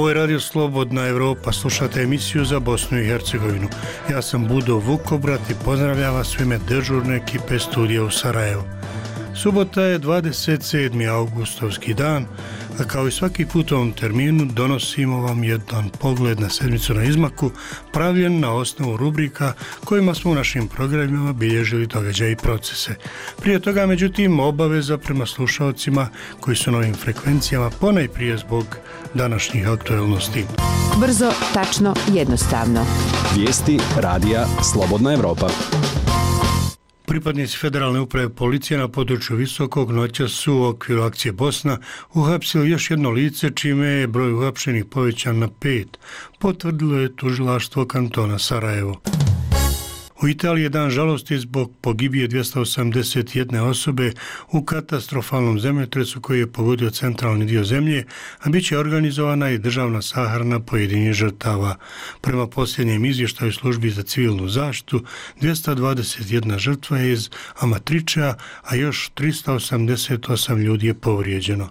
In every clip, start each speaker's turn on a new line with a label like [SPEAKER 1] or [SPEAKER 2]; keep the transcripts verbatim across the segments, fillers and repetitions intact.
[SPEAKER 1] Ovo je Radio Slobodna Evropa, slušate emisiju za Bosnu i Hercegovinu. Ja sam Budo Vukobrat i pozdravljam vas u ime dežurne ekipe studija u Sarajevu. Subota je dvadeset sedmi augustovski dan, a kao i svaki put u ovom terminu donosimo vam jedan pogled na sedmicu na izmaku, pravljen na osnovu rubrika kojima smo u našim programima bilježili događaje i procese. Prije toga, međutim, obaveza prema slušalcima koji su na ovim frekvencijama ponajprije zbog današnjih aktualnosti.
[SPEAKER 2] Brzo, tačno, jednostavno.
[SPEAKER 3] Vijesti radija Slobodna Evropa.
[SPEAKER 1] Pripadnici Federalne uprave policije na području Visokog noćas su u okviru akcije Bosna uhapsili još jedno lice, čime je broj uhapšenih povećan na pet, potvrdilo je tužilaštvo kantona Sarajevo. U Italiji je dan žalosti zbog pogibije dvjesto osamdeset jedne osobe u katastrofalnom zemljotresu koji je pogodio centralni dio zemlje, a bit će organizovana i državna sahrana pojedinih žrtava. Prema posljednjem izvještaju službi za civilnu zaštitu, dvjesto dvadeset jedna žrtva je iz Amatriča, a još tristo osamdeset osam ljudi je povrijeđeno.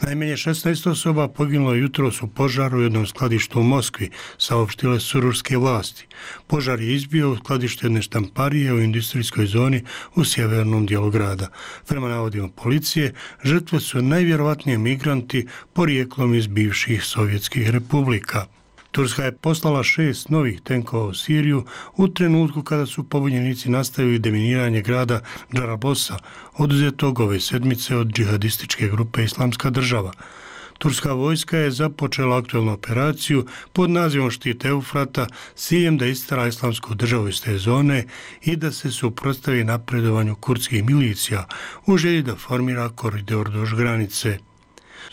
[SPEAKER 1] Najmanje šesnaest osoba poginulo jutros u požaru u jednom skladištu u Moskvi, saopštile su ruske vlasti. Požar je izbio u skladištu jedne štamparije u industrijskoj zoni u sjevernom dijelu grada. Prema navodima policije, žrtve su najvjerovatnije migranti porijeklom iz bivših sovjetskih republika. Turska je poslala šest novih tenkova u Siriju u trenutku kada su pobunjenici nastavili deminiranje grada Džarabosa, oduzetog ove sedmice od džihadističke grupe Islamska država. Turska vojska je započela aktualnu operaciju pod nazivom Štit Eufrata s ciljem da istjera Islamsku državu iz te zone i da se suprotstavi napredovanju kurdskih milicija u želji da formira koridor duž granice.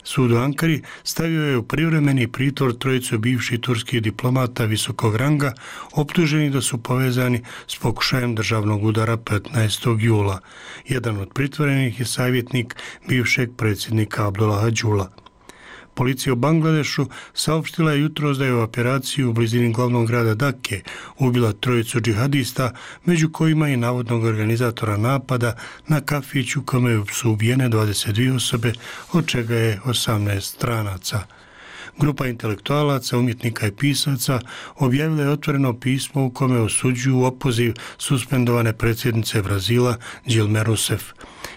[SPEAKER 1] Sud u Ankari stavio je u privremeni pritvor trojicu bivših turskih diplomata visokog ranga, optuženi da su povezani s pokušajem državnog udara petnaestog jula. Jedan od pritvorenih je savjetnik bivšeg predsjednika Abdullaha Đula. Policija u Bangladešu saopštila je jutros da je u operaciji u blizini glavnog grada Dake ubila trojicu džihadista, među kojima i navodnog organizatora napada na kafić u kome su ubijene dvadeset dvije osobe, od čega je osamnaest stranaca. Grupa intelektualaca, umjetnika i pisaca objavila je otvoreno pismo u kome osuđuju opoziv suspendovane predsjednice Brazila Dilme Rousseff.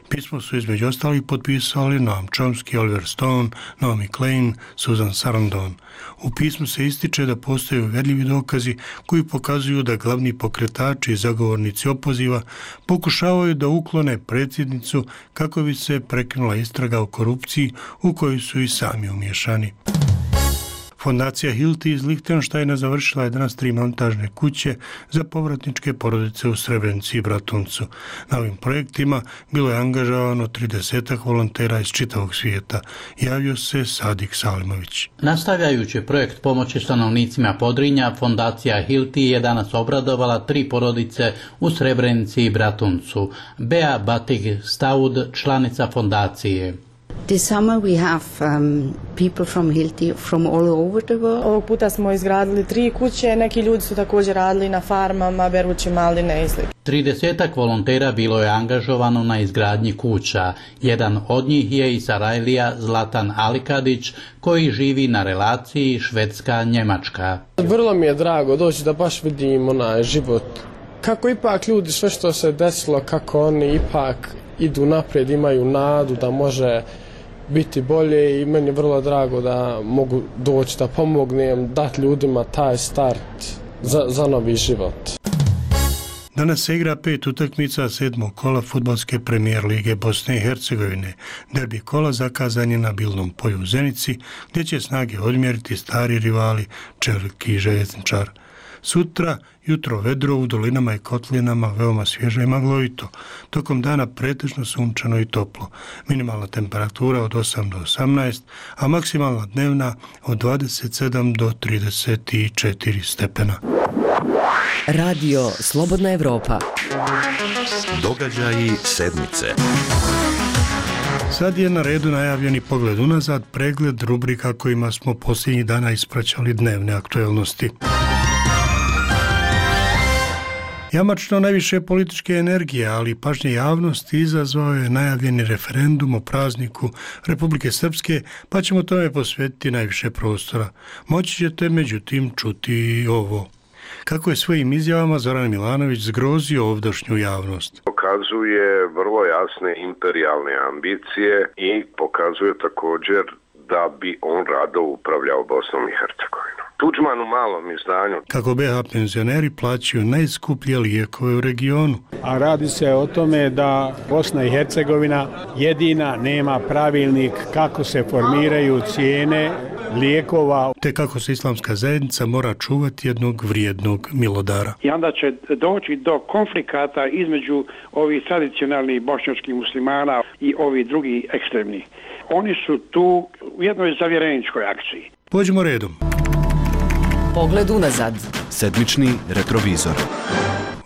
[SPEAKER 1] Pismo su između ostalih potpisali Noam Chomsky, Oliver Stone, Naomi Klein, Susan Sarandon. U pismu se ističe da postoje uvjerljivi dokazi koji pokazuju da glavni pokretači i zagovornici opoziva pokušavaju da uklone predsjednicu kako bi se prekinula istraga o korupciji u kojoj su i sami umiješani. Fondacija Hilti iz Lihtenštajna završila je danas tri montažne kuće za povratničke porodice u Srebrenici i Bratuncu. Na ovim projektima bilo je angažovano tridesetak volontera iz čitavog svijeta. Javio se Sadik Salimović.
[SPEAKER 4] Nastavljajući projekt pomoći stanovnicima Podrinja, Fondacija Hilti je danas obradovala tri porodice u Srebrenici i Bratuncu. Bea Batig Staud, članica fondacije.
[SPEAKER 5] This summer we have um, people from Hilti from all over the world.
[SPEAKER 6] Ovog puta smo izgradili tri kuće, neki ljudi su također radili na farmama, berući maline i sl.
[SPEAKER 4] tridesetak volontera bilo je angažovano na izgradnji kuća. Jedan od njih je i Sarajlija Zlatan Alikadić, koji živi na relaciji Švedska-Njemačka.
[SPEAKER 7] Vrlo mi je drago doći da baš vidim onaj život. Kako ipak ljudi, sve što se desilo, kako oni ipak idu naprijed, imaju nadu da može biti bolje i meni je vrlo drago da mogu doći da pomognem, dati ljudima taj start za, za novi život.
[SPEAKER 1] Danas se igra pet utakmica sedmog kola fudbalske premijer lige Bosne i Hercegovine. Derbi kola zakazan je na Bilnom polju u Zenici, gdje će snage odmjeriti stari rivali Čelik i Željezničar. Sutra, jutro vedro u dolinama i kotlinama, veoma svježe i maglovito. Tokom dana pretežno sunčano i toplo. Minimalna temperatura od osam do osamnaest, a maksimalna dnevna od dvadeset sedam do trideset četiri stepena.
[SPEAKER 2] Radio Slobodna Evropa.
[SPEAKER 8] Događaji sedmice.
[SPEAKER 1] Sad je na redu najavljeni pogled unazad, pregled rubrika kojima smo posljednjih dana ispraćali dnevne aktualnosti. Jamačno najviše političke energije, ali i pažnje javnosti izazvao je najavljeni referendum o prazniku Republike Srpske, pa ćemo tome posvetiti najviše prostora. Moći ćete međutim čuti ovo. Kako je svojim izjavama Zoran Milanović zgrozio ovdašnju javnost.
[SPEAKER 8] Pokazuje vrlo jasne imperijalne ambicije i pokazuje također da bi on rado upravljao Bosnom i Hercegovinom. Tuđman u malom izdanju.
[SPEAKER 1] Kako be ha penzioneri plaćaju najskuplje lijekove u regionu.
[SPEAKER 9] A radi se o tome da Bosna i Hercegovina jedina nema pravilnik kako se formiraju cijene lijekova.
[SPEAKER 1] Te kako se islamska zajednica mora čuvati jednog vrijednog milodara.
[SPEAKER 10] I onda će doći do konflikata između ovih tradicionalnih bošnjačkih muslimana i ovih drugih ekstremnih. Oni su tu u jednoj zavjereničkoj akciji.
[SPEAKER 1] Pođimo redom.
[SPEAKER 2] Pogled unazad.
[SPEAKER 3] Sedmični retrovizor.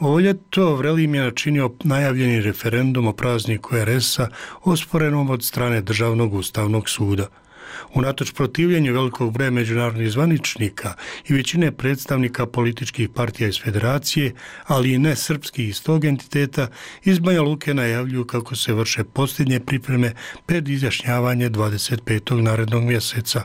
[SPEAKER 1] Ovo ljeto Vrelim je načinio najavljeni referendum o prazniku er es-a osporenom od strane Državnog ustavnog suda. Unatoč protivljenju velikog broja međunarodnih zvaničnika i većine predstavnika političkih partija iz federacije, ali i ne srpskih iz tog entiteta, iz Banja Luke najavljuju kako se vrše posljednje pripreme pred izjašnjavanje dvadeset petog narednog mjeseca.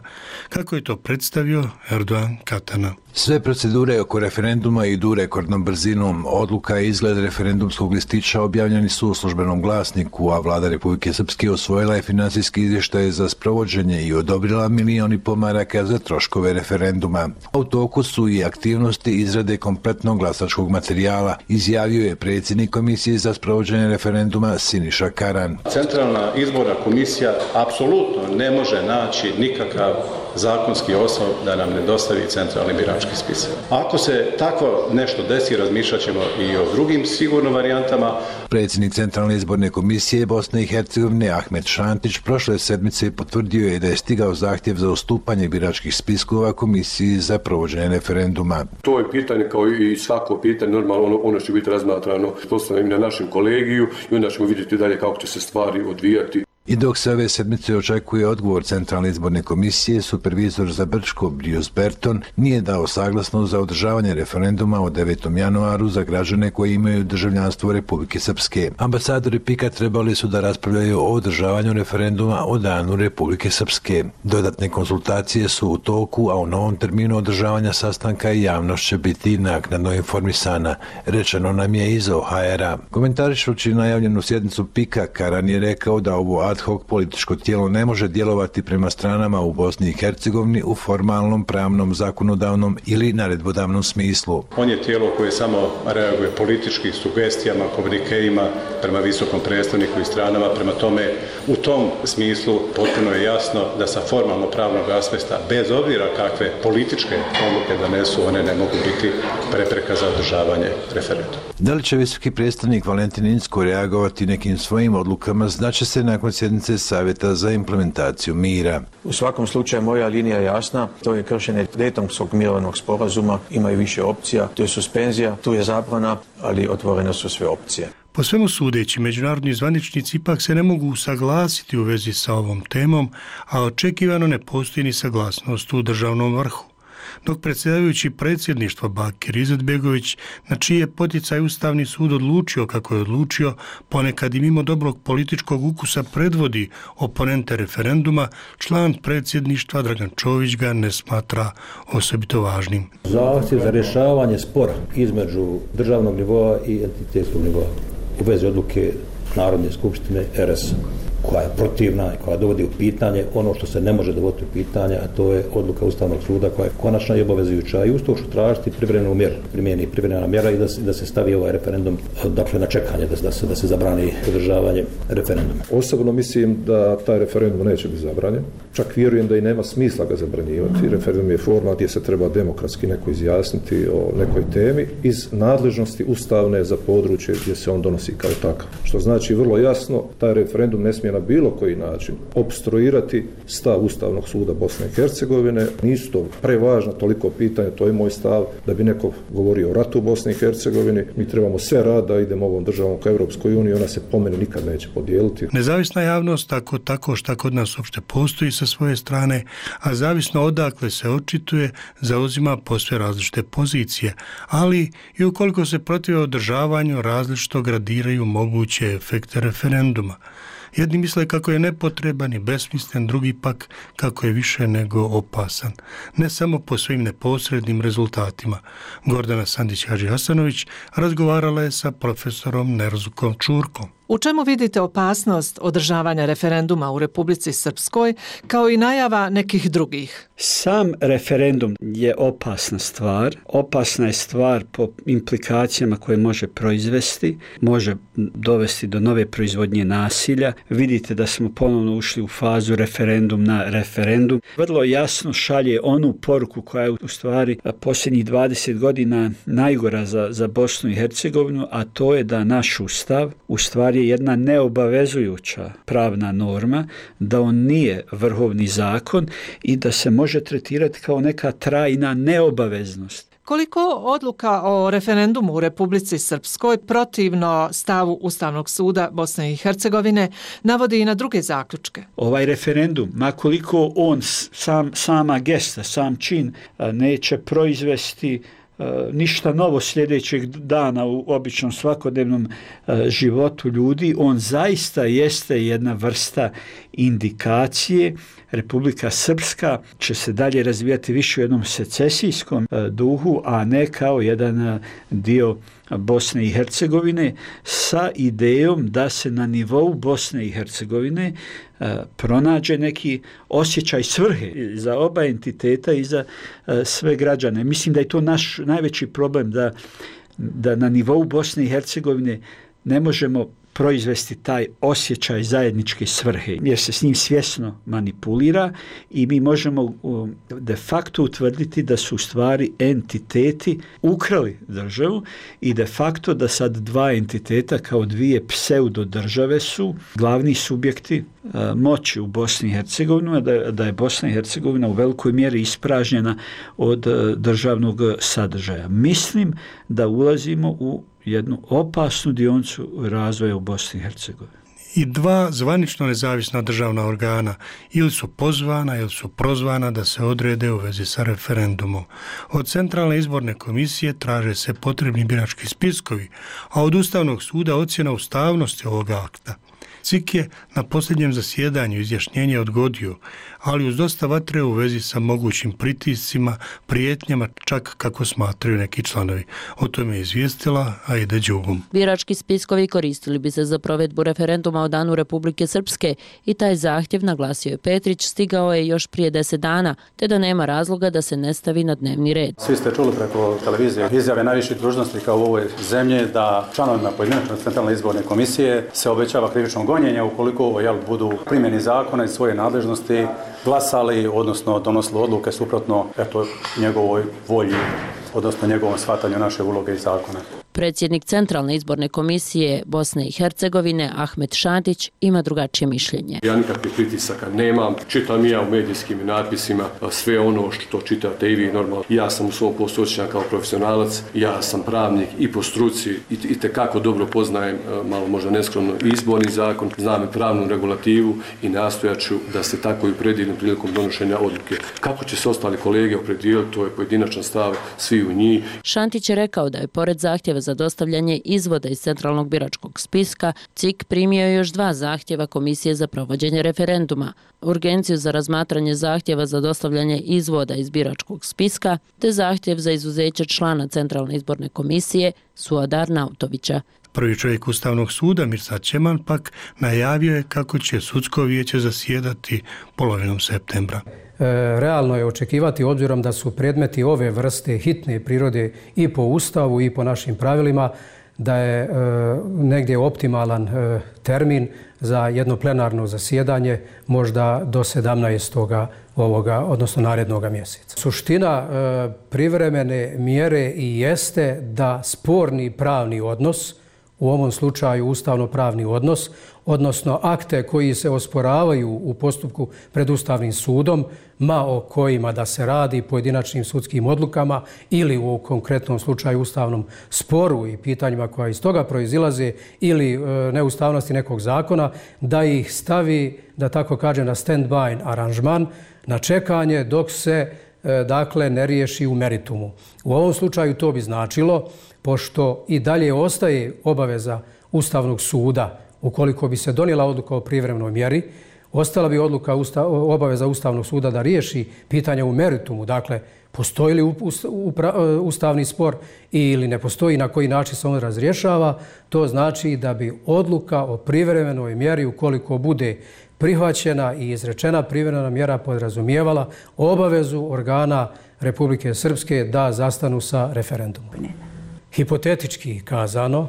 [SPEAKER 1] Kako je to predstavio Erdogan Katana.
[SPEAKER 11] Sve procedure oko referenduma idu rekordnom brzinom. Odluka i izgled referendumskog listića objavljeni su u službenom glasniku, a vlada Republike Srpske osvojila je financijski izvještaj za sprovođenje i odobrila milion i pol maraka za troškove referenduma. U toku su i aktivnosti izrade kompletnog glasačkog materijala, izjavio je predsjednik Komisije za sprovođenje referenduma Siniša Karan.
[SPEAKER 12] Centralna izborna komisija apsolutno ne može naći nikakav zakonski osnov da nam ne dostavi centralni birački spisak. Ako se tako nešto desi, razmišljat ćemo i o drugim sigurno varijantama.
[SPEAKER 11] Predsjednik Centralne izborne komisije Bosne i Hercegovine Ahmet Šantić prošle sedmice potvrdio je da je stigao zahtjev za ustupanje biračkih spiskova Komisiji za provođenje referenduma.
[SPEAKER 13] To je pitanje kao i svako pitanje, normalno ono, ono će biti razmatrano postavljeno na našem kolegiju i onda ćemo vidjeti dalje kako će se stvari odvijati.
[SPEAKER 11] I dok se ove sedmice očekuje odgovor Centralne izborne komisije, supervizor za Brčko Brius Berton nije dao saglasnost za održavanje referenduma o devetom januaru za građane koji imaju državljanstvo Republike Srpske. Ambasadori PIK-a trebali su da raspravljaju o održavanju referenduma o danu Republike Srpske. Dodatne konsultacije su u toku, a u novom terminu održavanja sastanka i javnost će biti naknadno informisana, rečeno nam je iz O H R-a. Komentarišući najavljenu sjednicu PIK-a, Karan je rekao da ovo ad hoc političko tijelo ne može djelovati prema stranama u Bosni i Hercegovini u formalnom, pravnom, zakonodavnom ili naredbodavnom smislu.
[SPEAKER 12] On je tijelo koje samo reaguje politički sugestijama, komunikeima prema visokom predstavniku i stranama. Prema tome, u tom smislu potpuno je jasno da sa formalno pravnog aspekta, bez obzira kakve političke odluke donesu, one ne mogu biti prepreka za održavanje referenduma.
[SPEAKER 11] Da li će visoki predstavnik Valentin Incko reagovati nekim svojim odlukama, znaće se nakon sjednice Savjeta za implementaciju mira.
[SPEAKER 14] U svakom slučaju moja linija je jasna, to je kršenje Daytonskog mirovnog sporazuma, ima i više opcija, to je suspenzija, tu je zabrana, ali otvorene su sve opcije.
[SPEAKER 1] Po svemu sudeći, međunarodni zvaničnici ipak se ne mogu usaglasiti u vezi sa ovom temom, a očekivano ne postoji ni saglasnost u državnom vrhu. Dok predsjedavajući predsjedništva Bakir Izetbegović, na čiji je poticaj Ustavni sud odlučio kako je odlučio, ponekad i mimo dobrog političkog ukusa predvodi oponente referenduma, član predsjedništva Dragan Čović ga ne smatra osobito važnim.
[SPEAKER 15] Zahtjev za rješavanje spora između državnog nivoa i entitetskog nivoa u vezi odluke Narodne skupštine er es-a, koja je protivna i koja dovodi u pitanje ono što se ne može dovoditi u pitanje, a to je odluka Ustavnog suda koja je konačna i obavezujuća i uz to ću tražiti privremenu mjeru, primjeni privremena mjera i da se, da se stavi ovaj referendum dakle na čekanje, da, da, se, da se zabrani održavanje referenduma.
[SPEAKER 13] Osobno mislim da taj referendum neće biti zabranjen, čak vjerujem da i nema smisla ga zabranjivati. Referendum je forma gdje se treba demokratski neko izjasniti o nekoj temi iz nadležnosti ustavne za područje gdje se on donosi kao takav. Što znači vrlo jasno, taj referendum ne smije na bilo koji način obstruirati stav Ustavnog suda Bosne i Hercegovine. Nisu to prevažna toliko pitanja, to je moj stav, da bi neko govorio o ratu u Bosni i Hercegovini. Mi trebamo sve rad da idemo ovom državom ka Europskoj uniji, ona se po meni nikad neće podijeliti.
[SPEAKER 1] Nezavisna javnost, tako tako šta kod nas uopšte postoji sa svoje strane, a zavisno odakle se očituje, zauzima posve različite pozicije, ali i ukoliko se protive održavanju različito gradiraju moguće efekte referenduma. Jedni misle kako je nepotreban i besmislen, drugi pak kako je više nego opasan. Ne samo po svojim neposrednim rezultatima. Gordana Sandić-Hadžihasanović razgovarala je sa profesorom Nerzukom Čurkom.
[SPEAKER 16] U čemu vidite opasnost održavanja referenduma u Republici Srpskoj, kao i najava nekih drugih?
[SPEAKER 17] Sam referendum je opasna stvar. Opasna je stvar po implikacijama koje može proizvesti, može dovesti do nove proizvodnje nasilja. Vidite da smo ponovno ušli u fazu referendum na referendum. Vrlo jasno šalje onu poruku koja je u stvari posljednjih dvadeset godina najgora za, za Bosnu i Hercegovinu, a to je da naš ustav u stvari je jedna neobavezujuća pravna norma, da on nije vrhovni zakon i da se može tretirati kao neka trajna neobaveznost.
[SPEAKER 16] Koliko odluka o referendumu u Republici Srpskoj protivno stavu Ustavnog suda Bosne i Hercegovine navodi i na druge zaključke?
[SPEAKER 17] Ovaj referendum, makoliko on sam, sama gesta, sam čin neće proizvesti ništa novo sljedećeg dana u običnom svakodnevnom životu ljudi, on zaista jeste jedna vrsta indikacije. Republika Srpska će se dalje razvijati više u jednom secesijskom duhu, a ne kao jedan dio Bosne i Hercegovine, sa idejom da se na nivou Bosne i Hercegovine pronađe neki osjećaj svrhe za oba entiteta i za sve građane. Mislim da je to naš najveći problem, da, da na nivou Bosne i Hercegovine ne možemo proizvesti taj osjećaj zajedničke svrhe, jer se s njim svjesno manipulira i mi možemo de facto utvrditi da su u stvari entiteti ukrali državu i de facto da sad dva entiteta kao dvije pseudo države su glavni subjekti a, moći u Bosni i Hercegovini, da, da je Bosna i Hercegovina u velikoj mjeri ispražnjena od a, državnog sadržaja. Mislim da ulazimo u jednu opasnu dionicu razvoja u Bosni i Hercegovini.
[SPEAKER 1] I dva zvanično nezavisna državna organa ili su pozvana ili su prozvana da se odrede u vezi sa referendumom. Od Centralne izborne komisije traže se potrebni birački spiskovi, a od Ustavnog suda ocjena ustavnosti ovog akta. C I K je na posljednjem zasjedanju izjašnjenje odgodio, ali uz dosta vatre u vezi sa mogućim pritiscima, prijetnjama, čak kako smatraju neki članovi. O tome je izvijestila Aida Đugum.
[SPEAKER 18] Birački spiskovi koristili bi se za provedbu referenduma o danu Republike Srpske i taj zahtjev, naglasio je Petrić, stigao je još prije deset dana, te da nema razloga da se ne stavi na dnevni red.
[SPEAKER 19] Svi ste čuli preko televizije izjave najviših dužnosnika u ovoj zemlji da članovima pojedinačne Centralne izborne komisije se obećava krivično gonjenje ukoliko jel, budu primjeni zakona i svoje nadležnosti glasali, odnosno donosili odluke suprotno eto, njegovoj volji, odnosno njegovom shvatanju naše uloge i zakona.
[SPEAKER 18] Predsjednik Centralne izborne komisije Bosne i Hercegovine Ahmet Šantić ima drugačije mišljenje.
[SPEAKER 20] Ja nikakvih pritisaka nemam. Čitam i ja u medijskim natpisima sve ono što čitate i vi normalno. Ja sam u svom poslu osjećan kao profesionalac, ja sam pravnik i po struci i, i tekako dobro poznajem, malo možda neskromno, izborni zakon, znam i pravnu regulativu i nastojaću da se tako i predivim prilikom donošenja odluke. Kako će se ostali kolege opredijeliti, to je pojedinačan stav svi u njih.
[SPEAKER 18] Šantić je rekao da je pored zahtjeva za dostavljanje izvoda iz centralnog biračkog spiska, C I K primio još dva zahtjeva Komisije za provođenje referenduma, urgenciju za razmatranje zahtjeva za dostavljanje izvoda iz biračkog spiska, te zahtjev za izuzeće člana Centralne izborne komisije Suadar Nautovića.
[SPEAKER 1] Prvi čovjek Ustavnog suda, Mirsad Čeman, pak najavio je kako će sudsko vijeće zasjedati polovinom septembra.
[SPEAKER 21] Realno je očekivati, obzirom da su predmeti ove vrste hitne prirode i po Ustavu i po našim pravilima, da je e, negdje optimalan e, termin za jedno plenarno zasjedanje možda do sedamnaestog ovoga, odnosno narednog mjeseca. Suština e, privremene mjere i jeste da sporni pravni odnos, u ovom slučaju ustavno-pravni odnos, odnosno akte koji se osporavaju u postupku pred Ustavnim sudom, ma o kojima da se radi, pojedinačnim sudskim odlukama ili u konkretnom slučaju ustavnom sporu i pitanjima koja iz toga proizilaze ili e, neustavnosti nekog zakona, da ih stavi, da tako kažem, na stand-by aranžman, na čekanje dok se e, dakle ne riješi u meritumu. U ovom slučaju to bi značilo, pošto i dalje ostaje obaveza Ustavnog suda, ukoliko bi se donijela odluka o privremenoj mjeri, ostala bi odluka usta, obaveza Ustavnog suda da riješi pitanje u meritumu, dakle postoji li ustavni spor ili ne postoji, na koji način se on razrješava. To znači da bi odluka o privremenoj mjeri, ukoliko bude prihvaćena i izrečena privremena mjera, podrazumijevala obavezu organa Republike Srpske da zastanu sa referendumom. Hipotetički kazano,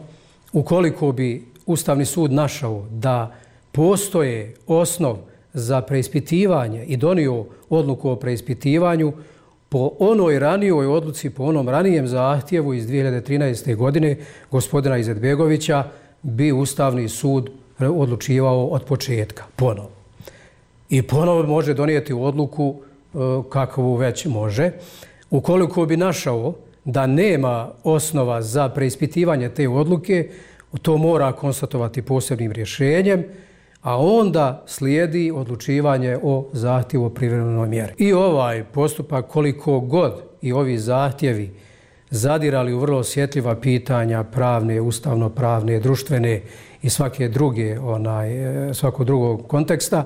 [SPEAKER 21] ukoliko bi Ustavni sud našao da postoje osnov za preispitivanje i donio odluku o preispitivanju, po onoj ranijoj odluci, po onom ranijem zahtjevu iz dvije hiljade trinaeste. godine gospodina Izetbegovića, bi Ustavni sud odlučivao od početka, ponovo. I ponovo može donijeti odluku kakvu već može. Ukoliko bi našao da nema osnova za preispitivanje te odluke, to mora konstatovati posebnim rješenjem, a onda slijedi odlučivanje o zahtjevu o privremenoj mjeri. I ovaj postupak, koliko god i ovi zahtjevi zadirali u vrlo osjetljiva pitanja pravne, ustavno-pravne, društvene i svake druge, onaj, svakog drugog konteksta,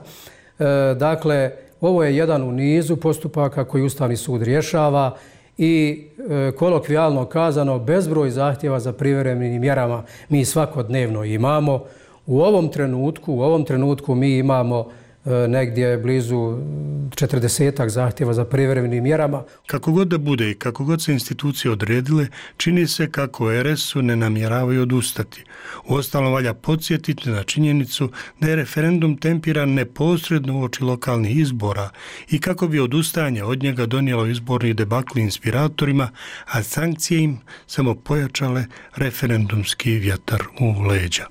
[SPEAKER 21] e, dakle, ovo je jedan u nizu postupaka koji Ustavni sud rješava i e, kolokvijalno kazano, bezbroj zahtjeva za privremenim mjerama mi svakodnevno imamo. U ovom trenutku, u ovom trenutku mi imamo e, negdje blizu četrdesetak zahtjeva za privremenim mjerama.
[SPEAKER 1] Kako god da bude i kako god se institucije odredile, čini se kako er es u ne namjeravaju odustati. Uostalom valja podsjetiti na činjenicu da je referendum tempiran neposredno uoči lokalnih izbora i kako bi odustajanje od njega donijelo izborni debakl inspiratorima, a sankcije im samo pojačale referendumski vjetar u leđa.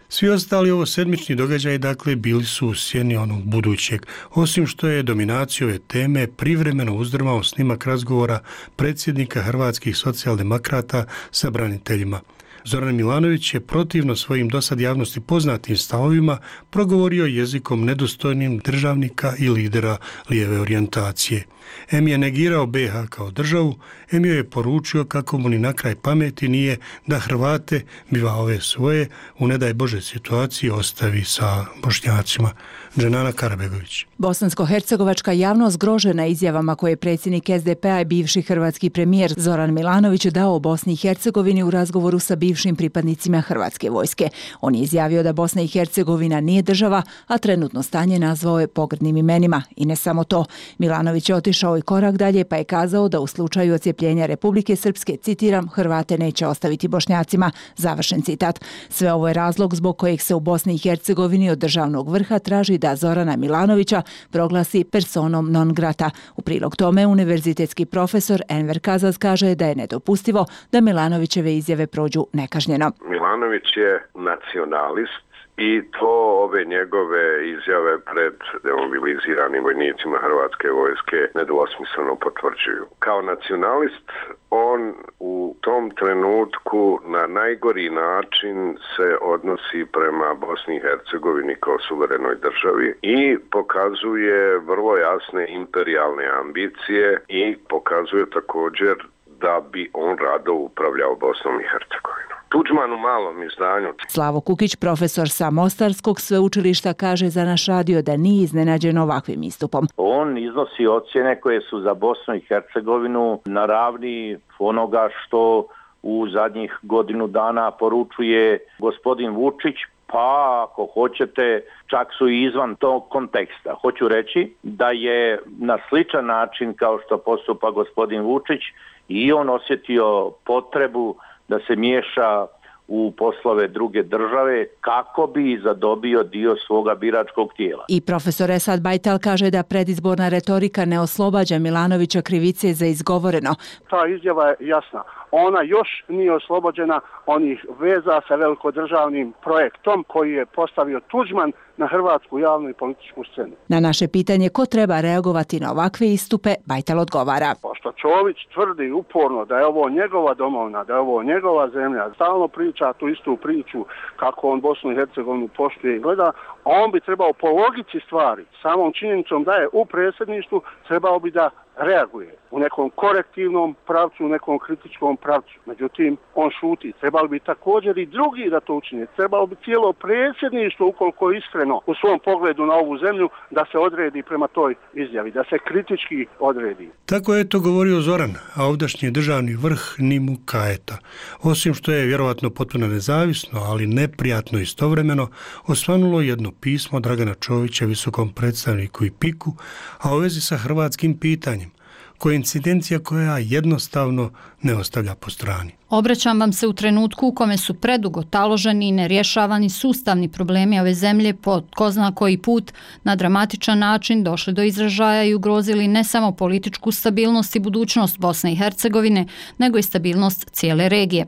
[SPEAKER 1] Svi ostali ovo sedmični događaji, dakle, bili su u sjeni onog budućeg, osim što je dominaciju ove teme privremeno uzdrmao snimak razgovora predsjednika hrvatskih socijaldemokrata sa braniteljima. Zoran Milanović je protivno svojim dosad javnosti poznatim stavovima progovorio jezikom nedostojnim državnika i lidera lijeve orijentacije. Em je negirao be ha kao državu, em joj je poručio kako mu ni na kraj pameti nije da Hrvate, biva ove svoje, u ne daj Bože situaciji ostavi sa Bošnjacima. Dženana Karabegović.
[SPEAKER 5] Bosansko-hercegovačka javnost zgrožena izjavama koje je predsjednik es de pe a i bivši hrvatski premijer Zoran Milanović dao o Bosni i Hercegovini u razgovoru sa bivšim pripadnicima Hrvatske vojske. On je izjavio da Bosna i Hercegovina nije država, a trenutno stanje nazvao je pogrdnim imenima. I ne samo to. Milanović je otišao i korak dalje pa je kazao da u slučaju odcjepljenja Republike Srpske, citiram, Hrvate neće ostaviti Bošnjacima. Završen citat. Sve ovo je razlog zbog kojeg se u Bosni i Hercegovini od državnog vrha traži da Zorana Milanovića proglasi personom non grata. U prilog tome univerzitetski profesor Enver Kazaz kaže da je nedopustivo da Milanovićeve izjave prođu nekažnjeno.
[SPEAKER 8] Milanović je nacionalist i to ove njegove izjave pred demobiliziranim vojnicima Hrvatske vojske nedvosmisleno potvrđuju. Kao nacionalist on u tom trenutku na najgori način se odnosi prema Bosni i Hercegovini kao suverenoj državi i pokazuje vrlo jasne imperijalne ambicije i pokazuje također da bi on rado upravljao Bosnom i Hercegovinom. Tuđman u malom izdanju.
[SPEAKER 5] Slavo Kukić, profesor sa Mostarskog sveučilišta, kaže za naš radio da nije iznenađen ovakvim istupom.
[SPEAKER 22] On iznosi ocjene koje su za Bosnu i Hercegovinu na ravni onoga što u zadnjih godinu dana poručuje gospodin Vučić, pa ako hoćete čak su i izvan tog konteksta. Hoću reći da je na sličan način kao što postupa gospodin Vučić i on osjetio potrebu da se miješa u poslove druge države kako bi zadobio dio svoga biračkog tijela.
[SPEAKER 5] I profesor Esad Bajtal kaže da predizborna retorika ne oslobađa Milanovića krivice za izgovoreno.
[SPEAKER 4] Ta izjava je jasna. Ona još nije oslobođena onih veza sa velikodržavnim projektom koji je postavio Tuđman na hrvatsku javnu i političku scenu.
[SPEAKER 5] Na naše pitanje ko treba reagovati na ovakve istupe, Bajtal odgovara.
[SPEAKER 4] Pošto Čović tvrdi uporno da je ovo njegova domovina, da je ovo njegova zemlja, stalno priča tu istu priču kako on Bosnu i Hercegovinu poštuje i gleda, on bi trebao po logici stvari, samom činjenicom da je u predsjedništvu, trebao bi da reaguje u nekom korektivnom pravcu, u nekom kritičkom pravcu. Međutim, on šuti. Trebalo bi također i drugi da to učine. Trebalo bi cijelo predsjedništvo, ukoliko je iskreno u svom pogledu na ovu zemlju, da se odredi prema toj izjavi, da se kritički odredi.
[SPEAKER 1] Tako je to govorio Zoran, a ovdašnji državni vrh ni mu kajeta. Osim što je vjerovatno potpuno nezavisno, ali neprijatno istovremeno, osvanulo jedno pismo Dragana Čovića visokom predstavniku i piku, a u vezi sa hrvatskim pitanjem. Koincidencija koja jednostavno ne ostavlja po strani.
[SPEAKER 6] Obraćam vam se u trenutku u kome su predugo taloženi i nerješavani sustavni problemi ove zemlje po ko zna koji put na dramatičan način došli do izražaja i ugrozili ne samo političku stabilnost i budućnost Bosne i Hercegovine, nego i stabilnost cijele regije.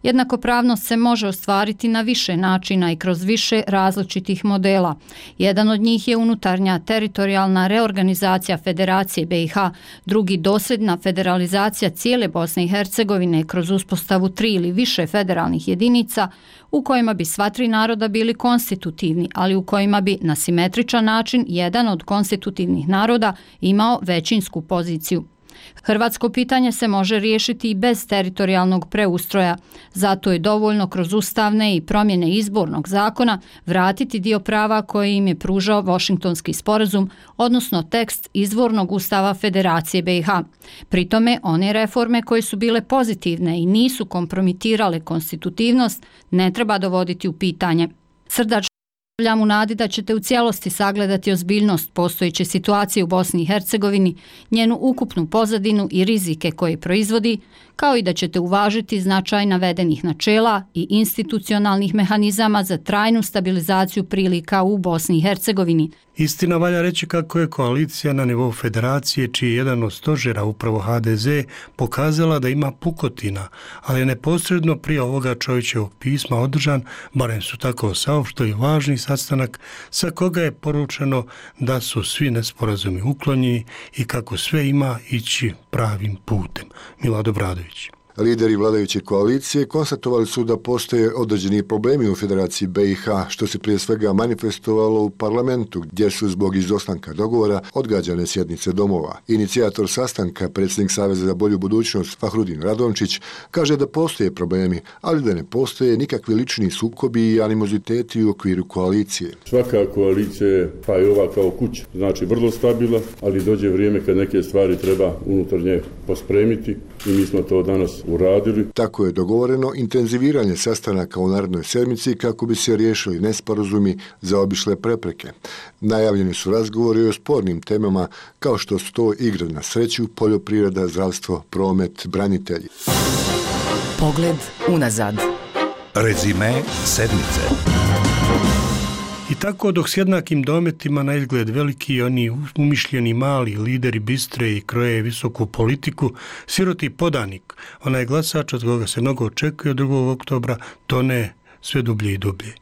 [SPEAKER 6] Jednakopravnost se može ostvariti na više načina i kroz više različitih modela. Jedan od njih je unutarnja teritorijalna reorganizacija Federacije B i H, drugi dosljedna federalizacija cijele Bosne i Hercegovine kroz uspostavu tri ili više federalnih jedinica u kojima bi sva tri naroda bili konstitutivni, ali u kojima bi na simetričan način jedan od konstitutivnih naroda imao većinsku poziciju. Hrvatsko pitanje se može riješiti i bez teritorijalnog preustroja, zato je dovoljno kroz ustavne i promjene izbornog zakona vratiti dio prava koje im je pružao Washingtonski sporazum, odnosno tekst izvornog ustava Federacije B i H. Pri tome, one reforme koje su bile pozitivne i nisu kompromitirale konstitutivnost ne treba dovoditi u pitanje. Srdačno Stavljam u nadi da ćete u cijelosti sagledati ozbiljnost postojeće situacije u Bosni i Hercegovini, njenu ukupnu pozadinu i rizike koje proizvodi, kao i da ćete uvažiti značaj navedenih načela i institucionalnih mehanizama za trajnu stabilizaciju prilika u Bosni i Hercegovini.
[SPEAKER 1] Istina, valja reći kako je koalicija na nivou federacije, čiji je jedan od stožera upravo H D Z, pokazala da ima pukotina, ali neposredno prije ovoga Čovićevog pisma održan, barem su tako saopštili, važni sastanak sa koga je poručeno da su svi nesporazumi uklonjeni i kako sve ima ići pravim putem. Milado Bradović.
[SPEAKER 23] Lideri vladajuće koalicije konstatovali su da postoje određeni problemi u Federaciji B i H, što se prije svega manifestovalo u parlamentu, gdje su zbog izostanka dogovora odgađane sjednice domova. Inicijator sastanka, predsjednik Saveza za bolju budućnost Fahrudin Radončić, kaže da postoje problemi, ali da ne postoje nikakvi lični sukobi i animoziteti u okviru koalicije.
[SPEAKER 24] Svaka koalicija je, pa i ova kao kuća, znači vrlo stabilna, ali dođe vrijeme kad neke stvari treba unutar nje pospremiti i mi smo to danas uradili.
[SPEAKER 23] Tako je dogovoreno intenziviranje sastanaka u narednoj sedmici kako bi se riješili nesporazumi za obišle prepreke. Najavljeni su razgovori o spornim temama kao što su to igre na sreću, poljoprivreda, zdravstvo, promet, branitelji.
[SPEAKER 2] Pogled unazad.
[SPEAKER 3] Rezime sedmice.
[SPEAKER 1] I tako dok s jednakim dometima na izgled veliki oni umišljeni mali lideri bistre i kroje visoku politiku, siroti podanik, onaj glasač od koga se mnogo očekuje od drugog oktobra, tone sve dublje i dublje.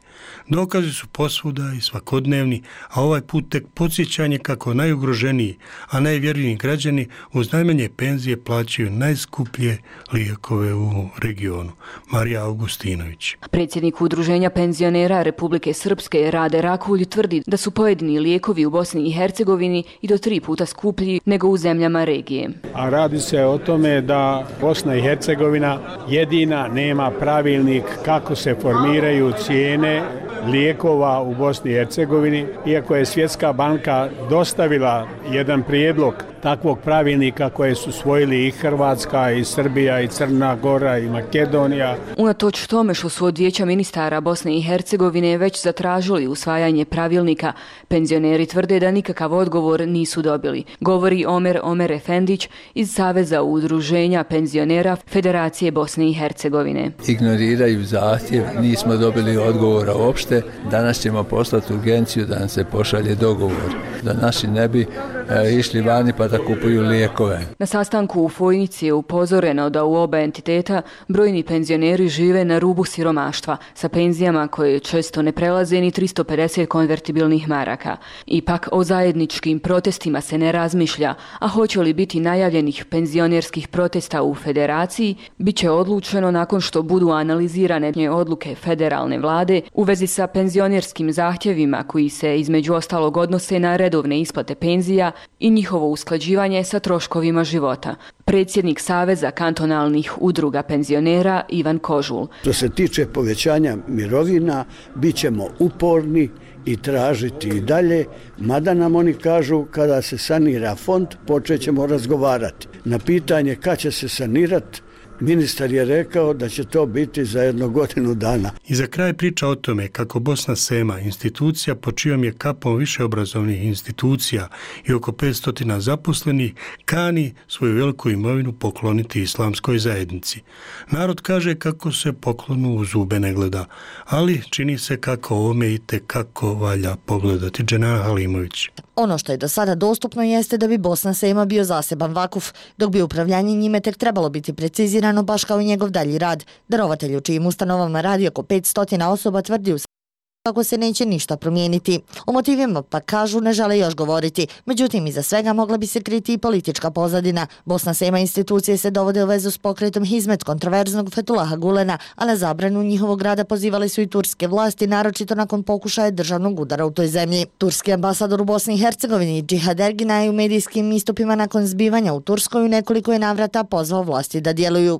[SPEAKER 1] Dokazi su posvuda i svakodnevni, a ovaj put tek podsjećanje kako najugroženiji, a najvjerniji građani uz najmanje penzije plaćaju najskuplje lijekove u regionu. Marija Augustinović.
[SPEAKER 25] Predsjednik Udruženja penzionera Republike Srpske Rade Rakulj tvrdi da su pojedini lijekovi u Bosni i Hercegovini i do tri puta skuplji nego u zemljama regije.
[SPEAKER 9] A radi se o tome da Bosna i Hercegovina jedina nema pravilnik kako se formiraju cijene lijekova u Bosni i Hercegovini, iako je Svjetska banka dostavila jedan prijedlog takvog pravilnika koje su svojili i Hrvatska, i Srbija, i Crna Gora, i Makedonija.
[SPEAKER 25] Unatoč tome što su od Vijeća ministara Bosne i Hercegovine već zatražili usvajanje pravilnika, penzioneri tvrde da nikakav odgovor nisu dobili. Govori Omer Omer Efendić iz Saveza udruženja penzionera Federacije Bosne i Hercegovine.
[SPEAKER 7] Ignoriraju zahtjev, nismo dobili odgovora uopšte. Danas ćemo poslati urgenciju da nam se pošalje dogovor, da naši ne bi e, išli vani pa da kupuju lijekove.
[SPEAKER 25] Na sastanku u Fojnici je upozoreno da u oba entiteta brojni penzioneri žive na rubu siromaštva sa penzijama koje često ne prelaze ni tristo pedeset konvertibilnih maraka. Ipak o zajedničkim protestima se ne razmišlja, a hoće li biti najavljenih penzionerskih protesta u federaciji, bit će odlučeno nakon što budu analizirane odluke federalne vlade u vezi sa penzionerskim zahtjevima koji se između ostalog odnose na redovne isplate penzija i njihovo usklađivanje sa troškovima života. Predsjednik Saveza kantonalnih udruga penzionera Ivan Kožul.
[SPEAKER 10] Što se tiče povećanja mirovina, bit ćemo uporni i tražiti i dalje, mada nam oni kažu kada se sanira fond, počet ćemo razgovarati. Na pitanje kad će se sanirati, ministar je rekao da će to biti za jednu godinu dana.
[SPEAKER 1] I za kraj priča o tome kako Bosna Sema, institucija po čijom je kapom više obrazovnih institucija i oko petsto zaposlenih, kani svoju veliku imovinu pokloniti islamskoj zajednici. Narod kaže kako se poklonu u zube ne gleda, ali čini se kako ovome i tekako valja pogledati. Dženana Halimović.
[SPEAKER 11] Ono što je do sada dostupno jeste da bi Bosna Sema bio zaseban vakuf, dok bi upravljanje njime tek trebalo biti precizirano baš kao i njegov dalji rad. Darovatelj u čijim ustanovama radi oko petsto osoba tvrdi u kako se neće ništa promijeniti. O motivima pa kažu ne žele još govoriti, međutim iza svega mogla bi se kriti i politička pozadina. Bosna Sema institucije se dovode u vezu s pokretom Hizmet kontroverznog Fetulaha Gulena, a na zabranu njihovog rada pozivali su i turske vlasti, naročito nakon pokušaja državnog udara u toj zemlji. Turski ambasador u Bosni i Hercegovini Džihad Ergina je u medijskim istupima nakon zbivanja u Turskoj u nekoliko je navrata pozvao vlasti da djeluju.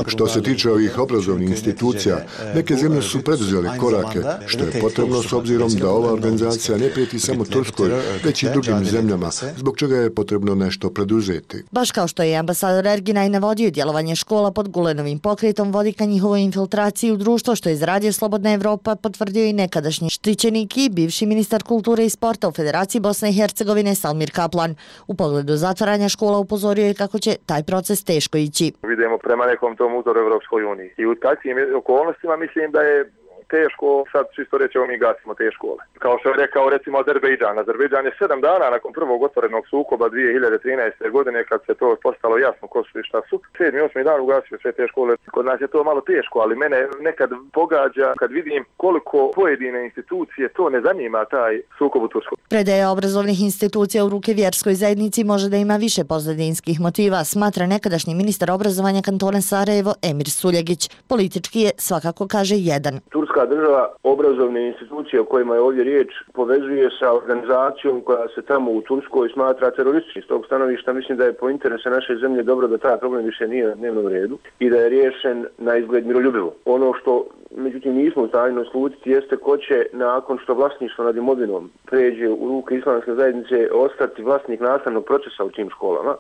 [SPEAKER 23] Što se tiče ovih obrazovnih institucija, neke zemlje su preduzele korake, što je potrebno s obzirom da ova organizacija ne prijeti samo Turskoj, već i drugim zemljama, zbog čega je potrebno nešto preduzeti.
[SPEAKER 11] Baš kao što je ambasador Ergina i navodio, djelovanje škola pod Gulenovim pokretom vodi ka njihovoj infiltraciji u društvo, što je izradio Slobodna Evropa, potvrdio i nekadašnji štićenik i bivši ministar kulture i sporta u Federaciji Bosne i Hercegovine Salmir Kaplan. U pogledu zatvaranja škola upozorio je kako će taj proces teško ići.
[SPEAKER 12] Vidimo prema nekom tom uzoru Evropskoj uniji. I u takvim okolnostima mislim da je teško, sad čisto reći, mi gasimo te škole. Kao što je rekao recimo Azerbejdžan. Azerbejdžan je sedam dana nakon prvog otvorenog sukoba dvije hiljade trinaeste. godine, kad se to postalo jasno ko su i šta su, sedmi, osmi dan ugasio sve te škole. Kod nas je to malo teško, ali mene nekad pogađa kad vidim koliko pojedine institucije to ne zanima taj sukob u Turskoj.
[SPEAKER 11] Predaja obrazovnih institucija u ruke vjerskoj zajednici može da ima više pozadinskih motiva, smatra nekadašnji ministar obrazovanja kantona Sarajevo Emir Suljegić. Politički je svakako, kaže, jedan.
[SPEAKER 12] Turska država obrazovne institucije o kojima je ovdje riječ povezuje sa organizacijom koja se tamo u Turskoj smatra terorističkim. S tog stanovišta mislim da je po interesu naše zemlje dobro da taj problem više nije na dnevnom redu i da je riješen na izgled miroljubivo. Ono što međutim nismo u stanju naslutiti jeste ko će nakon što vlasništvo nad imovinom pređe u ruke islamske zajednice ostati vlasnik nastavnog procesa u tim školama.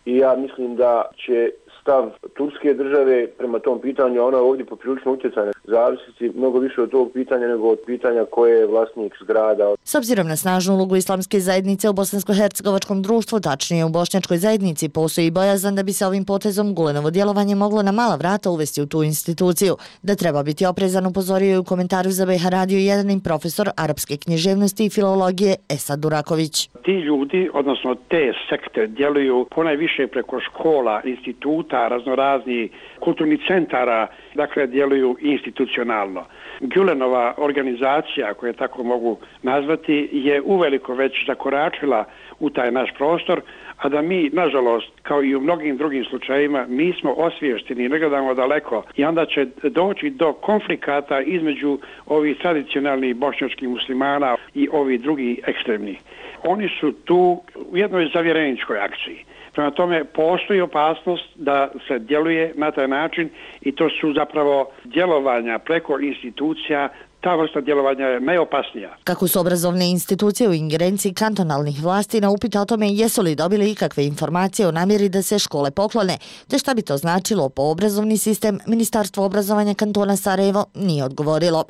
[SPEAKER 12] I ja mislim da će stav turske države prema tom pitanju, ona je ovdje poprilično utjecana, zavisiti mnogo više od tog pitanja nego od pitanja koje je vlasnik zgrada.
[SPEAKER 11] S obzirom na snažnu ulogu islamske zajednice u bosansko-hercegovačkom društvu, tačnije u bošnjačkoj zajednici, postoji bojazan da bi se ovim potezom Gulenovo djelovanje moglo na mala vrata uvesti u tu instituciju. Da treba biti oprezan, upozorio je u komentaru za B H Radio jedan profesor arapske književnosti i filologije Esad Duraković.
[SPEAKER 14] Ti ljudi, odnosno te sekte, djeluju ponajviše preko škola, instituta, raznorazni kulturnih centara, dakle djeluju institucionalno. Gulenova organizacija, koju tako mogu nazvati, je uveliko već zakoračila u taj naš prostor, a da mi, nažalost, kao i u mnogim drugim slučajima, nismo osviješteni i ne gledamo daleko i onda će doći do konflikata između ovih tradicionalnih bošnjačkih muslimana i ovih drugih ekstremnih. Oni su tu u jednoj zavjereničkoj akciji. Prema tome postoji opasnost da se djeluje na taj način i to su zapravo djelovanja preko institucija ta vrsta djelovanja je najopasnija.
[SPEAKER 11] Kako su obrazovne institucije u ingerenciji kantonalnih vlasti, na upit o tome jesu li dobili ikakve informacije o namjeri da se škole poklone, te šta bi to značilo po obrazovni sistem, Ministarstvo obrazovanja kantona Sarajevo nije odgovorilo.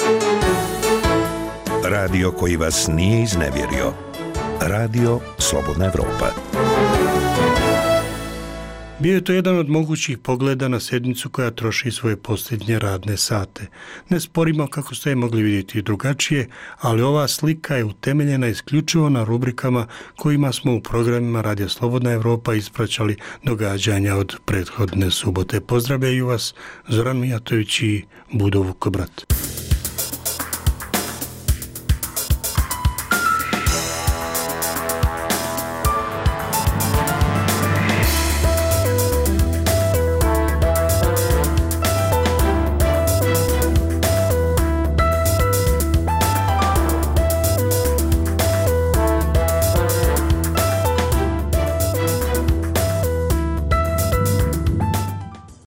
[SPEAKER 3] Radio koji vas nije iznevjerio. Radio Slobodna Evropa.
[SPEAKER 1] Bio je to jedan od mogućih pogleda na sjednicu koja troši svoje posljednje radne sate. Ne sporimo kako ste je mogli vidjeti drugačije, ali ova slika je utemeljena isključivo na rubrikama kojima smo u programima Radio Slobodna Evropa ispraćali događanja od prethodne subote. Pozdravljaju vas Zoran Mijatović i Budo Vukobrat.